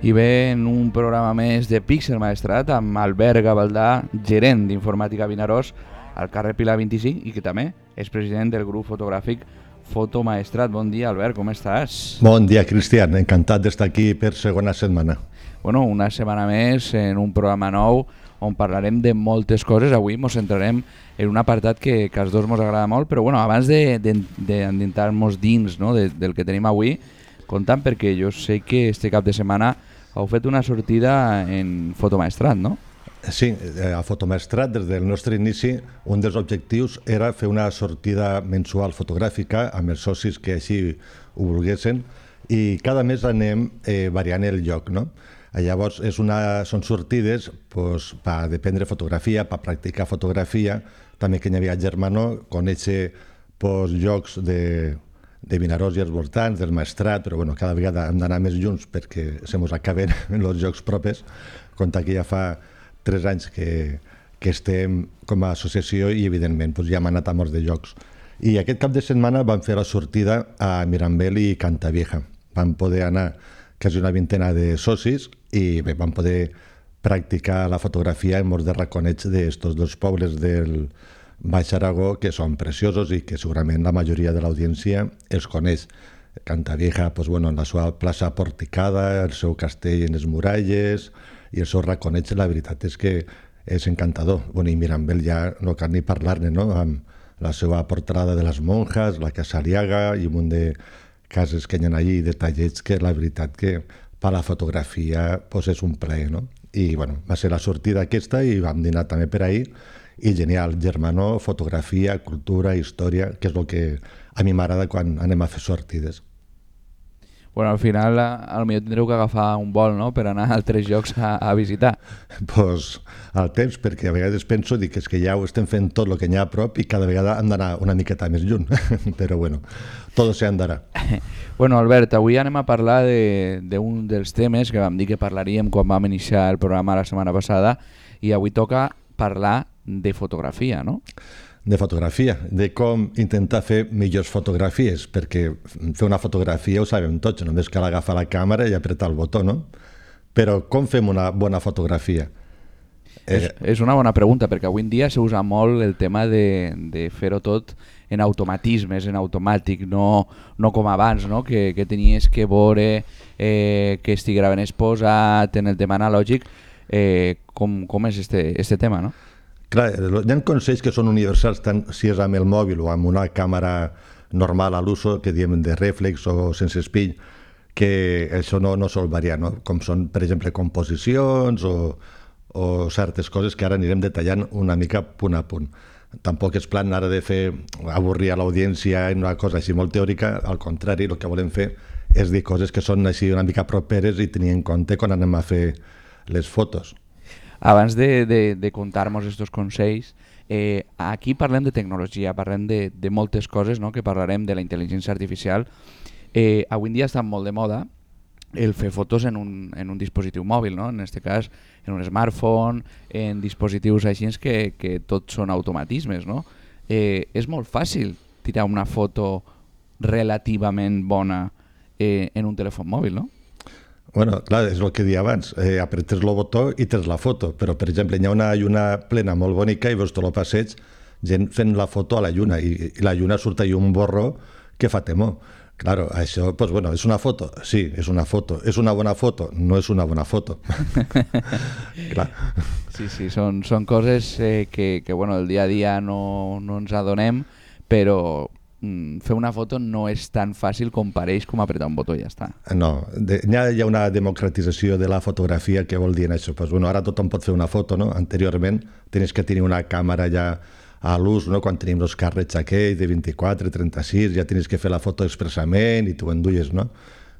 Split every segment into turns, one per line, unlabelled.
I bé, en un programa més de Píxel Maestrat amb Albert Gavaldà, gerent d'Informàtica Vinaròs al carrer Pilar 25 i que també és president del grup fotogràfic Foto Maestrat. Bon dia, Albert, com estàs?
Bon dia, Cristian. Encantat d'estar aquí per segona setmana.
Bueno, una setmana més en un programa nou on parlarem de moltes coses. Avui ens centrarem en un apartat que als dos ens agrada molt, però bueno, abans d'entrar-nos dins, no, del que tenim avui, comptant perquè jo sé que este cap de setmana heu fet una sortida en Fotomaestrat, no?
Sí, a Fotomaestrat, des del nostre inici, un dels objectius era fer una sortida mensual fotogràfica amb els socis que així ho volguessin i cada mes anem variant el lloc, no? Llavors, són sortides per dependre fotografia, per practicar fotografia, també que hi havia Germano, conèixer llocs de Vinaròs i els voltants, del Maestrat, però bueno, cada vegada hem d'anar més junts perquè se mos acaben els jocs propis. Compte que ja fa 3 anys que estem com a associació i evidentment ja hem anat a molts de jocs. I aquest cap de setmana vam fer la sortida a Mirambel i Cantavieja. Vam poder anar quasi una vintena de socis i bé, vam poder practicar la fotografia en molts de raconets d'estos dos pobles del Baix Aragó que són preciosos i que segurament la majoria de l'audiència els coneix. Cantavieja, en la seva plaça porticada, el seu castell en les muralles i els seus raconets, la veritat és que és encantador. I Mirambel ja no cal ni parlar-ne, no? Amb la seva portalada de les monjas, la Casa Aliaga i un munt de cases que hi ha allí, detallets que la veritat que per la fotografia és un plaer, no? I va ser la sortida aquesta i vam dinar també per ahir i genial, Germano, fotografia, cultura, història, que és el que a mi m'agrada quan anem a fer sortides.
Bueno, al final potser tindreu que agafar un vol, no?, per anar a altres llocs a visitar.
Al temps, perquè a vegades penso que és que ja ho estem fent tot el que hi ha a prop i cada vegada hem d'anar una miqueta més lluny, però tot se andarà.
Bueno, Albert, avui anem a parlar d'un dels temes que vam dir que parlaríem quan vam iniciar el programa la setmana passada i avui toca parlar de fotografia, no?
De fotografia, de com intentar fer millors fotografies, perquè fer una fotografia ho sabem tots, només cal agafar la càmera i apretar el botó, no? Però com fem una bona fotografia?
És una bona pregunta, perquè avui en dia s'usa molt el tema de fer-ho tot en automatismes, en automàtic, no com abans, no? Que tenies que veure que estigués ben exposat en el tema analògic. Com és este tema, no?
Clar, hi ha consells que són universals tant si és amb el mòbil o amb una càmera normal a l'uso, que diem de rèflex o sense espill, que això no sol variar, no? Com són, per exemple, composicions o certes coses que ara anirem detallant una mica punt a punt. Tampoc és plan ara de fer avorrir a l'audiència en una cosa així molt teòrica, al contrari, el que volem fer és dir coses que són així una mica properes i tenir en compte quan anem a fer les fotos.
Abans de contar-nos aquests consells, aquí parlem de tecnologia, parlem de moltes coses, no? Que parlarem de la intel·ligència artificial. Avui en dia està molt de moda el fer fotos en un dispositiu mòbil, no? En aquest cas en un smartphone, en dispositius així que tots són automatismes, no? És molt fàcil tirar una foto relativament bona en un telèfon mòbil, no?
Clar, és el que deia abans, apretes el botó i tens la foto, però per exemple hi ha una lluna plena molt bonica i veus tot el passeig, gent fent la foto a la lluna i la lluna surt allà un borró que fa temor. Claro, això, és una foto? Sí, és una foto. És una bona foto? No és una bona foto. Clar.
Sí, són coses que el dia a dia no ens adonem, però fer una foto no és tan fàcil com pareix com apretar un botó i ja està.
No, hi ha una democratització de la fotografia que vol dir això. Ara tothom pot fer una foto, no? Anteriorment tenies que tenir una càmera ja a l'ús, no? Quan tenim els càrrecs aquells de 24, 36, ja tenies que fer la foto expressament i tu enduies, no?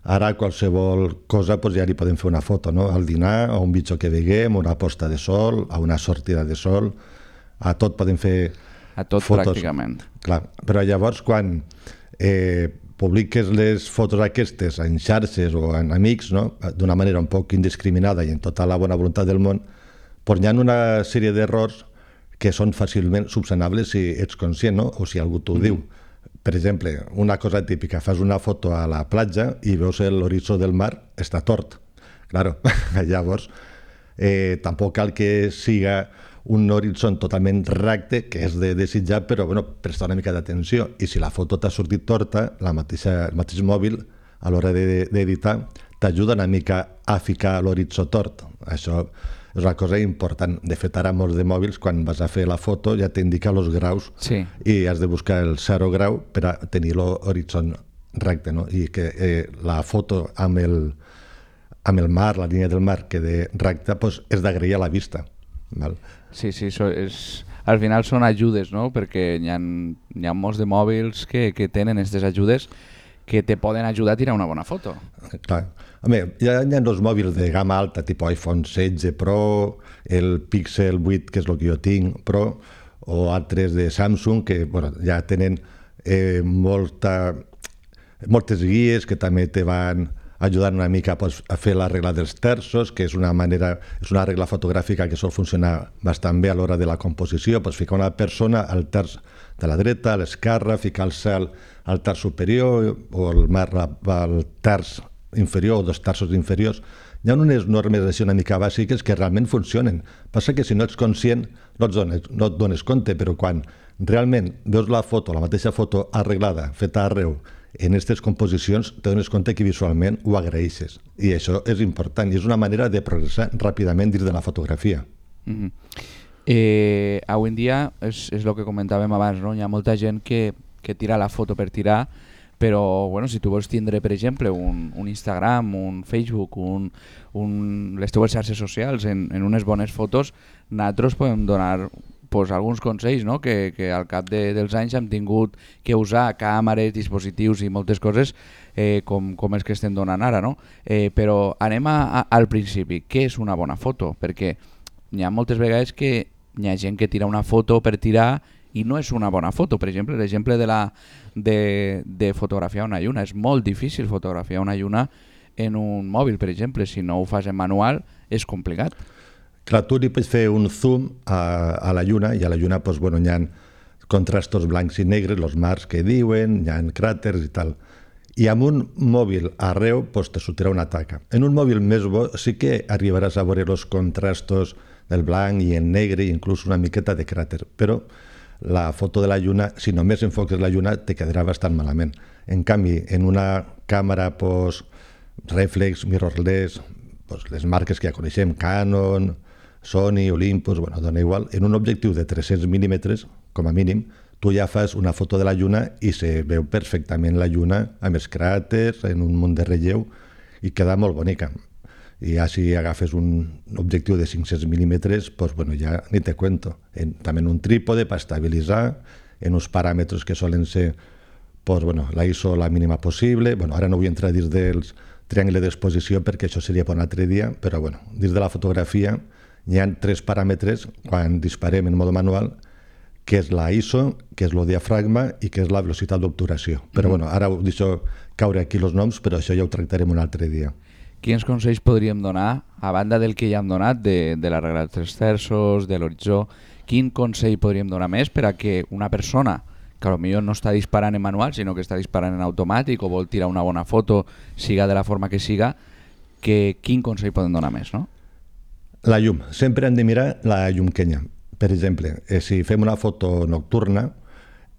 Ara qualsevol cosa ja li podem fer una foto, no? Al dinar, a un bitxo que veiem, una posta de sol, a una sortida de sol, a tot podem fer
a tot fotos. Pràcticament.
Clar, però llavors quan publiques les fotos aquestes en xarxes o en amics, no? D'una manera un poc indiscriminada i en tota la bona voluntat del món, hi ha una sèrie d'errors que són fàcilment subsanables si ets conscient, no? O si algú t'ho diu. Per exemple, una cosa típica, fas una foto a la platja i veus l'horitzó del mar, està tort. Claro, llavors tampoc cal que siga un horitzó totalment recte, que és de desitjar, però bueno, prestar una mica d'atenció. I si la foto t'ha sortit torta, el mateix mòbil, a l'hora d'editar, t'ajuda una mica a ficar l'horitzó tort. Això és una cosa important. De fet, ara molts de mòbils, quan vas a fer la foto, ja t'indica els graus i has de buscar el 0 grau per a tenir l'horitzó recte, no? I que la foto amb el mar, la línia del mar, quede recta, doncs és d'agrair a la vista. Val?
Sí, al final són ajudes, no? Perquè hi ha molts de mòbils que tenen aquestes ajudes que te poden ajudar a tirar una bona foto.
Clar. Home, hi ha dos mòbils de gamma alta, tipus iPhone 16 Pro, el Pixel 8, que és el que jo tinc, Pro, o altres de Samsung, que bueno, ja tenen moltes guies que també te van ajudant una mica a fer la regla dels terços, que és una regla fotogràfica que sol funcionar bastant bé a l'hora de la composició. Pots ficar una persona al terç de la dreta, a l'esquerra, ficar el cel al terç superior o el mar al terç inferior o dos terços inferiors. Hi ha unes normes així una mica bàsiques que realment funcionen. Passa que si no ets conscient no et dones compte, però quan realment veus la mateixa foto arreglada, feta arreu, en aquestes composicions te dones compte que visualment ho agraeixes. I això és important i és una manera de progressar ràpidament dins de la fotografia.
Avui en dia és el que comentàvem abans, no? Hi ha molta gent que tira la foto per tirar, però bueno, si tu vols tindre, per exemple, un Instagram, un Facebook, les teves xarxes socials en unes bones fotos, nosaltres podem donar alguns consells, no? que al cap dels anys hem tingut que usar càmeres, dispositius i moltes coses com els que estem donant ara. No? Però anem al principi. Què és una bona foto? Perquè hi ha moltes vegades que hi ha gent que tira una foto per tirar i no és una bona foto. Per exemple, l'exemple de fotografiar una lluna. És molt difícil fotografiar una lluna en un mòbil, per exemple. Si no ho fas en manual, és complicat.
Clar, tu li pots fer un zoom a la lluna i a la lluna doncs, bueno, hi ha contrastos blancs i negres, els mars que diuen, hi ha cràters i tal. I amb un mòbil arreu doncs, te sortirà una taca. En un mòbil més bo sí que arribaràs a veure els contrastos del blanc i el negre i inclús una miqueta de cràter, però la foto de la lluna, si només enfoques la lluna, te quedarà bastant malament. En canvi, en una càmera reflex, mirrorless, les marques que ja coneixem, Canon, Sony, Olympus, bueno, dona igual, en un objectiu de 300 mil·límetres, com a mínim, tu ja fas una foto de la lluna i se veu perfectament la lluna amb els cràters, en un munt de relleu, i queda molt bonica. I ja si agafes un objectiu de 500 mil·límetres, doncs bueno, ja ni te cuento. També en un trípode per estabilitzar, en uns paràmetres que solen ser doncs, bueno, la ISO la mínima possible. Bueno, ara no vull entrar dins dels triangles d'exposició perquè això seria per un altre dia, però bueno, dins de la fotografia hi ha 3 paràmetres quan disparem en mode manual, que és la ISO, que és el diafragma i que és la velocitat d'obturació. Però bueno, ara ho deixo caure aquí els noms, però això ja ho tractarem un altre dia.
Quins consells podríem donar, a banda del que ja hem donat, de la regla dels 3 terços, de l'horitzó, quin consell podríem donar més per a que una persona que potser no està disparant en manual, sinó que està disparant en automàtic o vol tirar una bona foto, siga de la forma que siga, quin consell podem donar més, no?
La llum. Sempre hem de mirar la llum que hi ha. Per exemple, si fem una foto nocturna,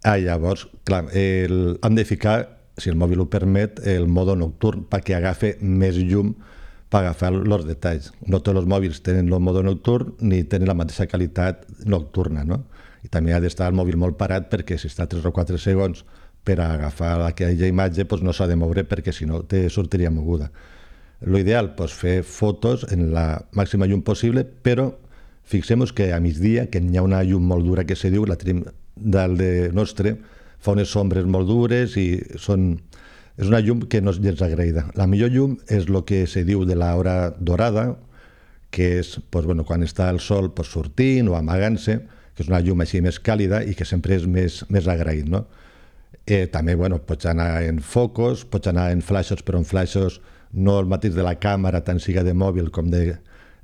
llavors, clar, hem de ficar, si el mòbil ho permet, el mode nocturn perquè agafi més llum per agafar els detalls. No tots els mòbils tenen el mode nocturn ni tenen la mateixa qualitat nocturna, no? I també ha d'estar el mòbil molt parat perquè si està 3 o 4 segons per agafar aquella imatge doncs no s'ha de moure perquè si no te sortiria moguda. L'ideal és fer fotos en la màxima llum possible, però fixem-nos que a migdia, que hi ha una llum molt dura que se diu, la tenim dalt de nostre, fa unes ombres molt dures i és una llum que no és gens agraïda. La millor llum és el que se diu de l'hora dorada, que és bueno, quan està el sol sortint o amagant-se, que és una llum així més càlida i que sempre és més agraït. No? També pots anar en focus, pots anar en flaixos, però en flaixos no el mateix de la càmera, tant siga de mòbil com de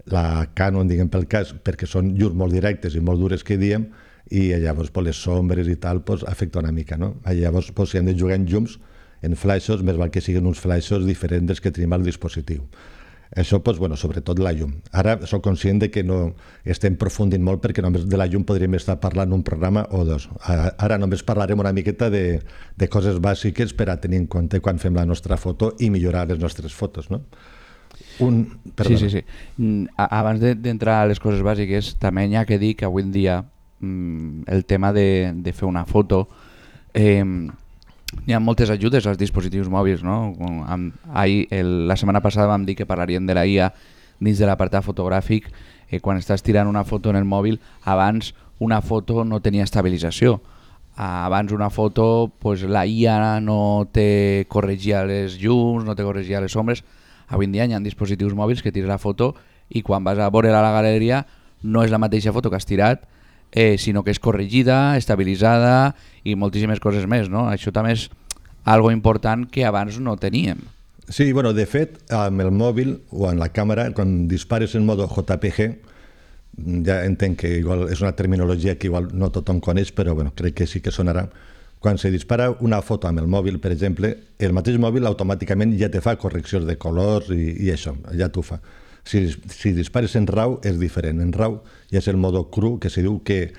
la Canon, diguem pel cas, perquè són llums molt directes i molt dures que diem, i llavors les sombres i tal afecta una mica. No? Llavors, si hem de jugar en llums, en flaixos, més val que siguin uns flaixos diferents dels que tenim al dispositiu. Això, doncs, bueno, sobretot la llum. Ara soc conscient de que no estem aprofundint molt perquè només de la llum podríem estar parlant un programa o dos. Ara només parlarem una miqueta de coses bàsiques per a tenir en compte quan fem la nostra foto i millorar les nostres fotos, no?
Sí. Abans d'entrar a les coses bàsiques, també hi ha que dir que avui en dia el tema de fer una foto, hi ha moltes ajudes als dispositius mòbils, no? La setmana passada vam dir que parlaríem de la IA dins de l'apartat fotogràfic. Quan estàs tirant una foto en el mòbil, abans una foto no tenia estabilització. Abans una foto, pues, la IA no te corregia les llums, no te corregia les ombres. Avui en dia hi ha dispositius mòbils que tires la foto i quan vas a veure a la galeria no és la mateixa foto que has tirat, sinó que és corregida, estabilitzada i moltíssimes coses més, no? Això també és algo important que abans no teníem.
Sí, bueno, de fet, amb el mòbil o en la càmera, quan dispares en modo JPG, ja entenc que igual és una terminologia que igual no tothom coneix, però bueno, crec que sí que sonarà. Quan se dispara una foto amb el mòbil, per exemple, el mateix mòbil automàticament ja te fa correccions de colors i això, ja t'ho fa. Si dispares en RAW és diferent. En RAW ja és el modo cru, que se diu que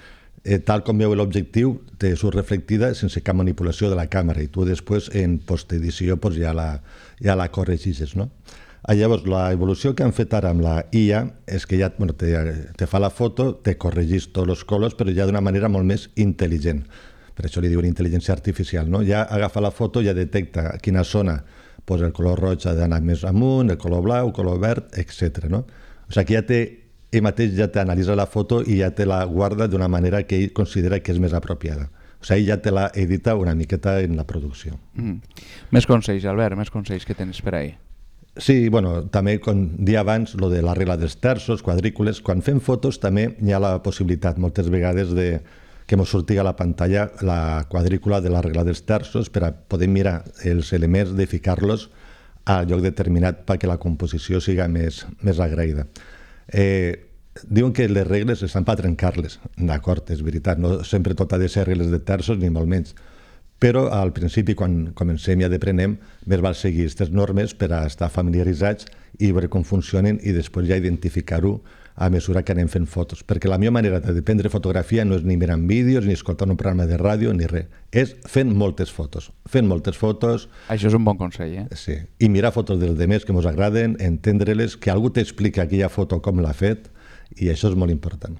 tal com veu l'objectiu te surt reflectida sense cap manipulació de la càmera i tu després en postedició pues, ja la corregixes, no? Llavors, l'evolució que han fet ara amb la IA és que ja bueno, te fa la foto, te corregís tots els colors, però ja d'una manera molt més intel·ligent. Per això li diuen intel·ligència artificial, no? Ja agafa la foto, ja detecta a quina zona pues, el color roig ha d'anar més amunt, el color blau, el color verd, etc. No? O sigui que ell mateix ja t'analitza la foto i ja te la guarda d'una manera que ell considera que és més apropiada. O sigui, ell ja te la edita una miqueta en la producció.
Més consells, Albert, més consells que tens per ahí.
Sí, bueno, també, com dia abans, lo de la regla dels terços, quadrícules, quan fem fotos també hi ha la possibilitat moltes vegades que ens surti a la pantalla la quadrícula de la regla dels terços per a poder mirar els elements de ficar-los al lloc determinat perquè la composició siga més agraïda. Diuen que les regles estan per trencar-les, d'acord, és veritat, no sempre tot ha de ser regles de terços ni molt menys, però al principi quan comencem i aprenem més val seguir aquestes normes per a estar familiaritzats i veure com funcionen i després ja identificar-ho a mesura que anem fent fotos, perquè la millor manera de prendre fotografia no és ni mirant vídeos, ni escoltant un programa de ràdio, ni res. És fent moltes fotos.
Això és un bon consell,
Sí. I mirar fotos dels demés que ens agraden, entendre-les, que algú t'explica aquella foto com l'ha fet, i això és molt important.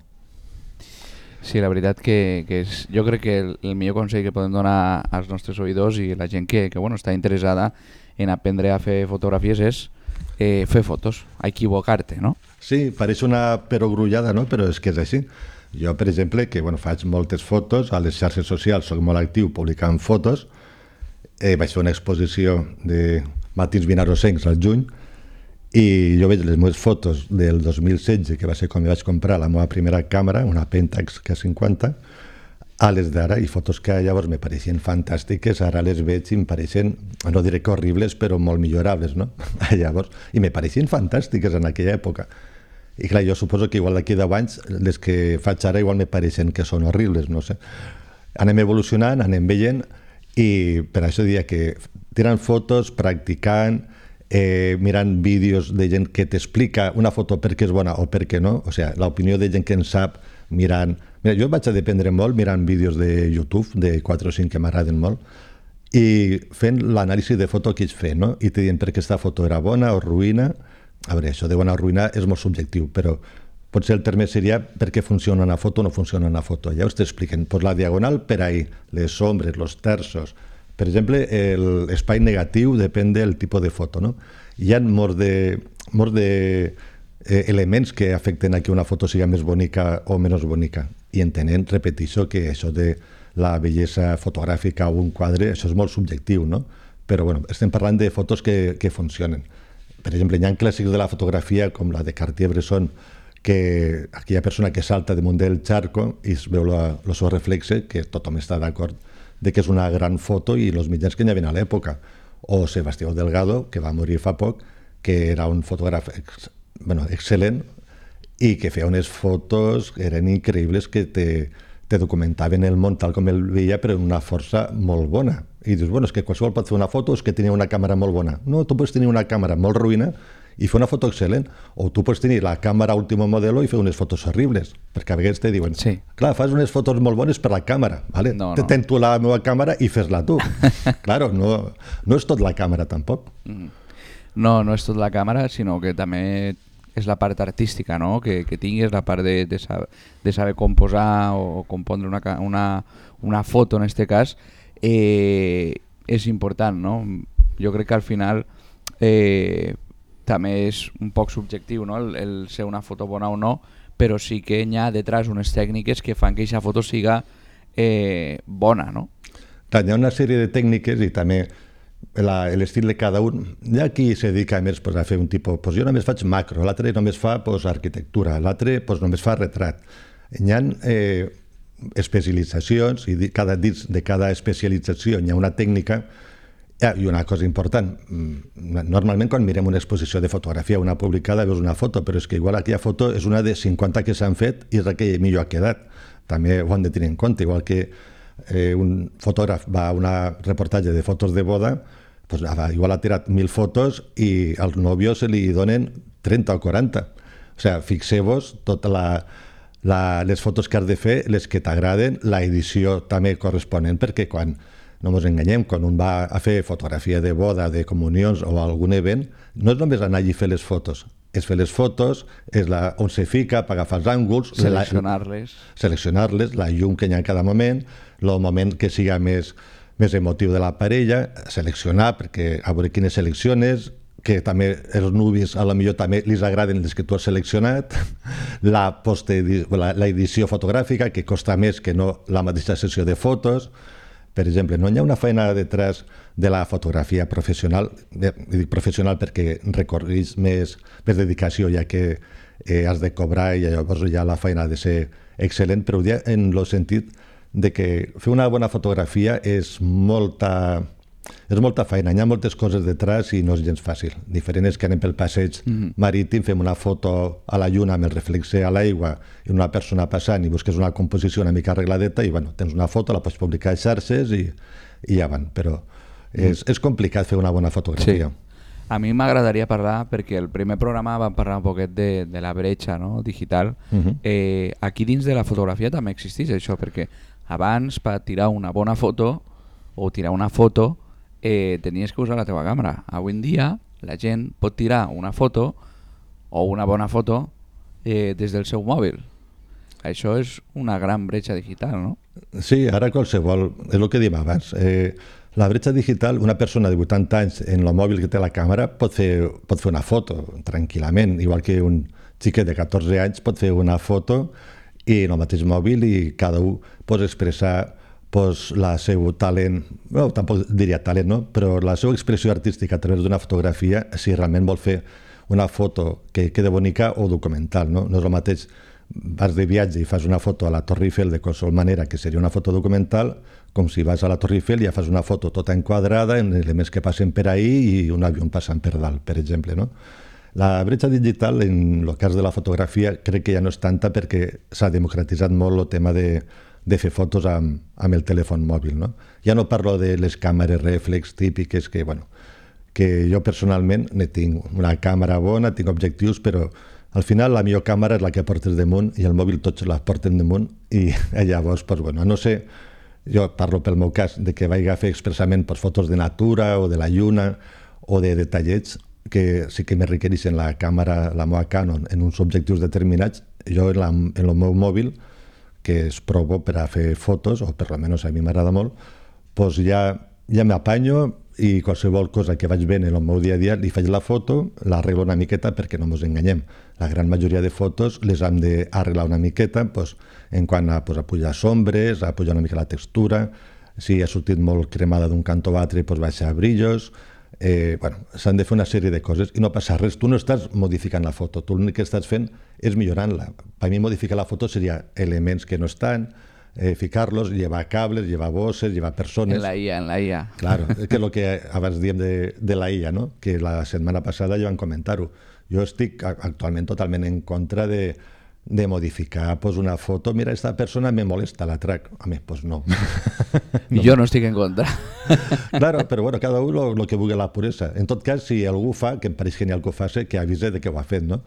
Sí, la veritat que jo crec que el millor consell que podem donar als nostres oïdors i la gent que bueno, està interessada en aprendre a fer fotografies és fer fotos, a equivocar-te, no?
Sí, pareix una perogrullada, no? Però és que és així. Jo, per exemple, que bueno, faig moltes fotos, a les xarxes socials soc molt actiu publicant fotos, vaig fer una exposició de matins vinarosencs al juny i jo veig les meves fotos del 2016, que va ser quan vaig comprar la meva primera càmera, una Pentax K50, a les d'ara, i fotos que llavors me pareixien fantàstiques, ara les veig i em pareixen, no diré que horribles, però molt millorables, no? Llavors, i me pareixien fantàstiques en aquella època. I clar, jo suposo que igual d'aquí 10 anys, les que faig ara igual me pareixen que són horribles, no sé. Anem evolucionant, anem veient, i per això diria que tirant fotos, practicant, mirant vídeos de gent que t'explica una foto per què és bona o per què no, o sigui, l'opinió de gent que en sap mirant... Mira, jo vaig a dependre molt mirant vídeos de YouTube, de 4 o 5 que m'agraden molt, i fent l'anàlisi de foto que ells fan, no? I te diuen per què aquesta foto era bona o ruïna. A veure, això de bona o ruïna és molt subjectiu, però potser el terme seria per què funciona una foto o no funciona una foto. Ja us t'expliquen, pues la diagonal per ahí, les ombres, los terços. Per exemple, l'espai negatiu depèn del tipus de foto, no? Hi ha molts de elements que afecten a que una foto siga més bonica o menys bonica. I entenent, repeteixo, que això de la bellesa fotogràfica o un quadre, això és molt subjectiu, no? Però bueno, estem parlant de fotos que funcionen. Per exemple, hi ha clàssics de la fotografia, com la de Cartier-Bresson, que aquella persona que salta damunt del charco i es veu el seu reflexe, que tothom està d'acord de que és una gran foto i els mitjans que hi havia a l'època. O Sebastián Delgado, que va morir fa poc, que era un fotògraf excel·lent i que feia unes fotos que eren increïbles, que te documentaven el món tal com el veia, però d'una força molt bona. I dius, bueno, és que qualsevol pot fer una foto, és que tenia una càmera molt bona. No, tu pots tenir una càmera molt ruïna i fer una foto excel·lent. O tu pots tenir la càmera último modelo i fer unes fotos horribles, perquè a vegades te diuen,
Sí.
clar, fas unes fotos molt bones per la càmera, vale?
No,
Te
no.
tens tu la meva càmera i fes-la tu. Claro, no és tot la càmera tampoc.
No, no és tot la càmera, sinó que també és la part artística, no? Que tinguis, la part de saber composar o compondre una foto, en este cas, és important, no? Jo crec que al final també és un poc subjectiu, no? El ser una foto bona o no, però sí que hi ha detrás unes tècniques que fan que aquesta foto siga bona, no?
Clar, hi ha una sèrie de tècniques i també l'estil de cada un. Hi ha qui se dedica més a fer un tipus, jo només faig macro, l'altre només fa arquitectura, l'altre només fa retrat. Hi ha especialitzacions i dins de cada especialització hi ha una tècnica i una cosa important. Normalment quan mirem una exposició de fotografia, una publicada, veus una foto, però és que igual aquella foto és una de 50 que s'han fet i és la que millor ha quedat. També ho han de tenir en compte, igual que un fotògraf va a un reportatge de fotos de boda, pues, igual ha tirat 1.000 fotos i als nòvios se li donen 30 o 40. O sigui, fixeu-vos totes les fotos que has de fer, les que t'agraden, la edició també corresponent, perquè quan, no ens enganyem, quan un va a fer fotografia de boda, de comunions o algun event, no és només anar allí a fer les fotos, és fer les fotos, és on se fica per agafar els ànguls, seleccionar-les, la llum que hi ha en cada moment, el moment que siga més emotiu de la parella, seleccionar, perquè a veure quines selecciones, que també els nuvis a lo millor també li agraden les que tu has seleccionat, la edició fotogràfica, que costa més que no la mateixa sessió de fotos. Per exemple, no hi ha una feina detrás de la fotografia professional, dic professional perquè recorreix més dedicació, ja que has de cobrar i llavors ja la feina ha de ser excel·lent, però en el sentit de que fer una bona fotografia és molta feina, hi ha moltes coses detrás i no és gens fàcil. Diferent és que anem pel passeig marítim, fem una foto a la lluna amb el reflexe a l'aigua i una persona passant i busques una composició una mica arregladeta i bueno, tens una foto, la pots publicar a xarxes i ja van, però és complicat fer una bona fotografia.
Sí. A mi m'agradaria parlar, perquè el primer programa vam parlar un poquet de la bretxa, no? Digital. Aquí dins de la fotografia també existeix això, perquè abans per tirar una bona foto o tirar una foto tenies que usar la teva càmera. Avui en dia la gent pot tirar una foto o una bona foto des del seu mòbil. Això és una gran bretxa digital, no?
Sí, ara qualsevol, és el que dèiem abans. La bretxa digital, una persona de 80 anys en el mòbil que té la càmera pot fer una foto tranquil·lament, igual que un xiquet de 14 anys pot fer una foto i en el mateix mòbil i cada un pot expressar la seu talent, no, tampoc diria talent, no? Però la seva expressió artística a través d'una fotografia, si realment vol fer una foto que quede bonica o documental, no? No és el mateix, vas de viatge i fas una foto a la Torre Eiffel de qualsevol manera que seria una foto documental, com si vas a la Torre Eiffel i ja fas una foto tota enquadrada en elements que passen per ahí i un avió passant per dalt, per exemple, no? La bretxa digital, en el cas de la fotografia, crec que ja no és tanta perquè s'ha democratitzat molt el tema de fer fotos amb el telèfon mòbil, no? Ja no parlo de les càmeres reflex típiques que jo personalment ne tinc una càmera bona, tinc objectius, però al final la millor càmera és la que portes damunt i el mòbil tots la porten damunt i llavors, a no ser, jo parlo pel meu cas, de que vaig a fer expressament fotos de natura o de la lluna o de detallets que sí que me requereixen la càmera, la meva Canon, en uns objectius determinats, jo en el meu mòbil, que es provo per a fer fotos, o per almenys a mi m'agrada molt, doncs ja m'apanyo i qualsevol cosa que vaig veient en el meu dia a dia li faig la foto, l'arreglo una miqueta perquè no ens enganyem. La gran majoria de fotos les hem d'arreglar una miqueta en quant a pujar sombres, a pujar una mica la textura, si ha sortit molt cremada d'un cantó a l'altre, baixar brillos. S'han de fer una sèrie de coses i no passa res. Tu no estàs modificant la foto, tu l'únic que estàs fent és millorant-la. Per mi modificar la foto seria elements que no estan, ficar-los, llevar cables, llevar bosses, llevar persones...
En la IA.
Claro, que és el que abans diem de la IA, no? Que la setmana passada ja vam comentar-ho. Jo estic actualment totalment en contra de de modificar pues, una foto. Mira, esta persona me molesta la track. A mí, pues no.
No. Jo no estic en contra.
Claro, però bueno, cada un lo que vulgui la puresa. En tot cas, si algú fa, que em pareix genial que ho faci, que avise de que ho ha fet, no?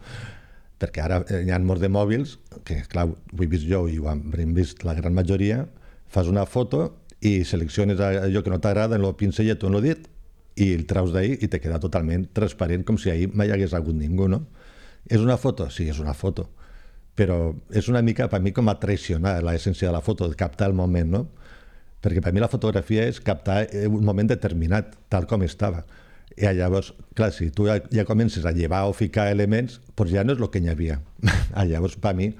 Perquè ara hi ha molts de mòbils, que clar, ho he vist jo i ho hem vist la gran majoria, fas una foto i selecciones allò que no t'agrada en el pincellet o en el dit i el traus d'ahir i te queda totalment transparent, com si ahir mai hagués hagut ningú, no? És una foto? Sí, és una foto. Però és una mica, per mi, com a traicionar l'essència de la foto, de captar el moment, no? Perquè per mi la fotografia és captar un moment determinat, tal com estava. I llavors, clar, si tu ja comences a llevar o ficar elements, doncs ja no és el que hi havia. Llavors, per mi,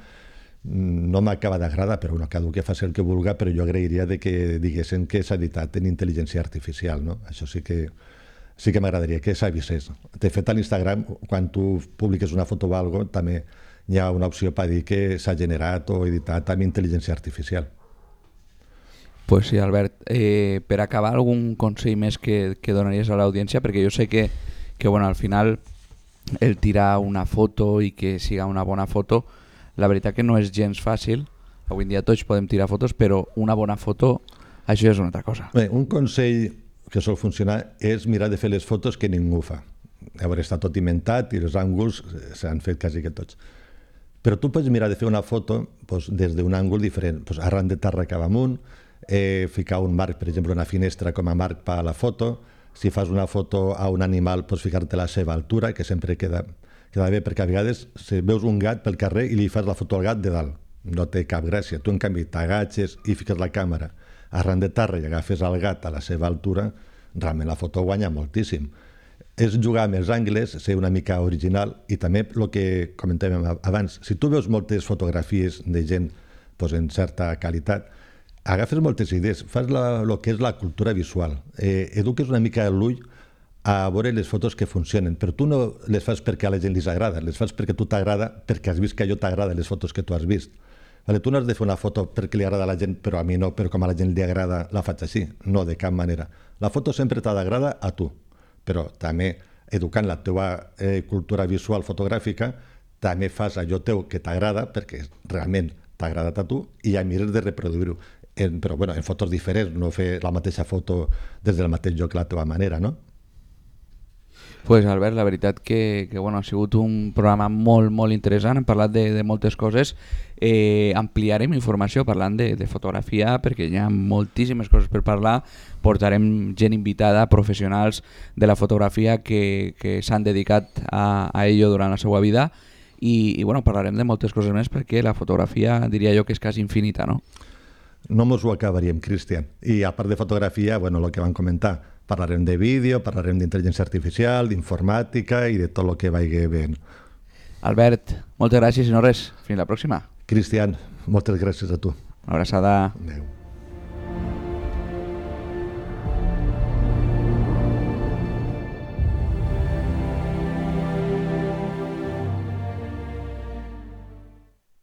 no m'acaba d'agradar, però bueno, cada un que faci el que vulga, però jo agrairia de que diguessin que s'ha editat en intel·ligència artificial, no? Això sí que m'agradaria que s'avisés. De fet, a l'Instagram, quan tu publiques una foto o alguna cosa, també hi ha una opció per dir que s'ha generat o editat amb intel·ligència artificial.
Pues sí, Albert. Per acabar, algun consell més que donaries a l'audiència? Perquè jo sé que bueno, al final el tirar una foto i que siga una bona foto, la veritat que no és gens fàcil. Avui en dia tots podem tirar fotos, però una bona foto, això és una altra cosa.
Bé, un consell que sol funcionar és mirar de fer les fotos que ningú fa. Llavors està tot inventat i els ànguls s'han fet quasi que tots. Però tu pots mirar de fer una foto doncs, des d'un àngul diferent, doncs, arran de terra cap amunt, ficar un marc, per exemple, una finestra com a marc per a la foto. Si fas una foto a un animal, pots ficar-te a la seva altura, que sempre queda bé, perquè a vegades si veus un gat pel carrer i li fas la foto al gat de dalt, no té cap gràcia. Tu, en canvi, t'agatxes i fiques la càmera arran de terra i agafes el gat a la seva altura, realment la foto guanya moltíssim. És jugar amb els angles, ser una mica original i també el que comentàvem abans, si tu veus moltes fotografies de gent doncs, en certa qualitat, agafes moltes idees, fas el que és la cultura visual, eduques una mica l'ull a veure les fotos que funcionen, però tu no les fas perquè a la gent li agrada, les fas perquè tu t'agrada, perquè has vist que allò t'agrada, les fotos que tu has vist. Vale, tu no has de fer una foto perquè li agrada a la gent, però a mi no, però com a la gent li agrada la faig així. No, de cap manera. La foto sempre t'ha d'agradar a tu, però també educant la teva cultura visual fotogràfica també fas allò teu que t'agrada perquè realment t'ha agradat a tu i ja mires de reproduir-ho. Però bueno, en fotos diferents, no fer la mateixa foto des del mateix lloc la teva manera, no?
Pues Albert, la veritat que bueno, ha sigut un programa molt interessant, hem parlat de moltes coses, ampliarem informació parlant de fotografia perquè hi ha moltíssimes coses per parlar, portarem gent invitada, professionals de la fotografia que s'han dedicat a ello durant la seva vida i bueno, parlarem de moltes coses més perquè la fotografia diria jo que és quasi infinita, no?
No mos ho acabaríem, Cristian. I a part de fotografia, bueno, el que vam comentar, parlarem de vídeo, parlarem d'intel·ligència artificial, d'informàtica i de tot el que vagi bé.
Albert, moltes gràcies i no res. Fins la pròxima.
Cristian, moltes gràcies a tu.
Una abraçada.
Adéu.